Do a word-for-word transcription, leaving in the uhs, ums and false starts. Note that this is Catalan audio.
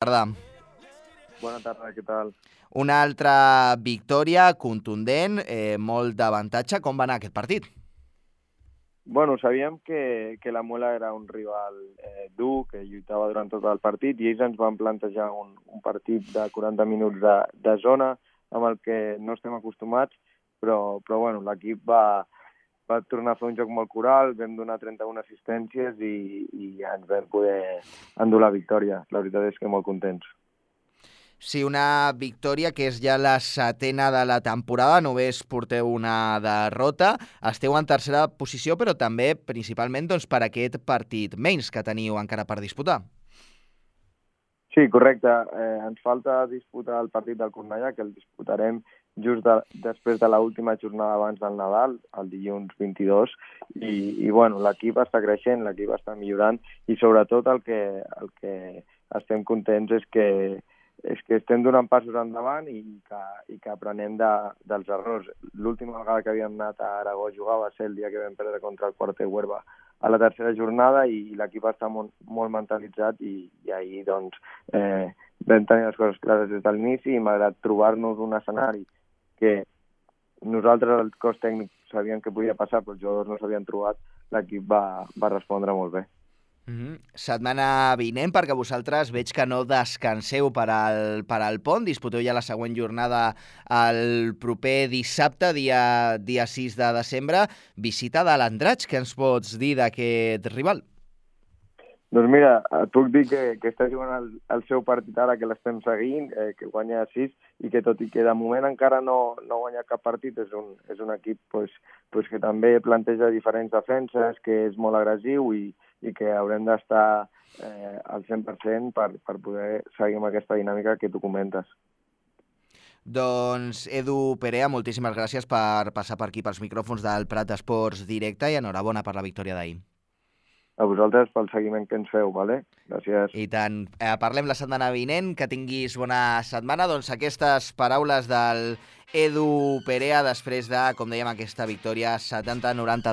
Tarda. Bona tarda, què tal? Una altra victòria contundent, eh, molt d'avantatge. Com va anar aquest partit? Bueno, sabíem que, que la Muela era un rival eh, dur, que lluitava durant tot el partit, i ells ens van plantejar un, un partit de quaranta minuts de, de zona, amb el que no estem acostumats, però, però bueno, l'equip va, va tornar a fer un joc molt coral, vam donar trenta-una assistències i, i ens vam poder endur la victòria. La veritat és que molt contents. Sí, una victòria que és ja la setena de la temporada, només porteu una derrota, esteu en tercera posició, però també principalment doncs, per aquest partit menys que teniu encara per disputar. Sí, correcte. Eh, ens falta disputar el partit del Cornellà, que el disputarem just de, després de l'última jornada abans del Nadal, el dilluns vint-i-dos, i, i bueno, l'equip està creixent, l'equip està millorant, i sobretot el que, el que estem contents és que és que estem donant passos endavant i que, i que aprenem de, dels errors. L'última vegada que havíem anat a Aragó a jugar va ser el dia que vam perdre contra el Quarter Huerva a la tercera jornada, i l'equip està molt, molt mentalitzat, i, i ahir doncs, eh, vam tenir les coses clares des de l'inici, i malgrat trobar-nos un escenari que nosaltres, el cos tècnic, sabíem que podia passar, però els jugadors no s'havien trobat, l'equip va, va respondre molt bé. Mm-hmm. Setmana vinent, perquè vosaltres veig que no descanseu per al, per al pont, disputeu ja la següent jornada el proper dissabte, dia, dia sis de desembre, visita de l'Andratx. Què ens pots dir d'aquest rival? Doncs mira, et puc dir que, que està jugant el, el seu partit ara, que l'estem seguint, eh, que guanya sis, i que tot i que de moment encara no, no guanya cap partit, és un, és un equip pues, pues que també planteja diferents defenses, que és molt agressiu, i, i que haurem d'estar eh, al cent per cent per, per poder seguir amb aquesta dinàmica que tu comentes. Doncs Edu Perea, moltíssimes gràcies per passar per aquí pels micròfons del Prat Esports Directe, i enhorabona per la victòria d'ahir. A vosaltres pel seguiment que ens feu, vale? Gràcies. I tant. Eh, parlem la setmana vinent, que tinguis bona setmana. Doncs aquestes paraules del Edu Perea després de, com dèiem, aquesta victòria setanta a noranta-dos.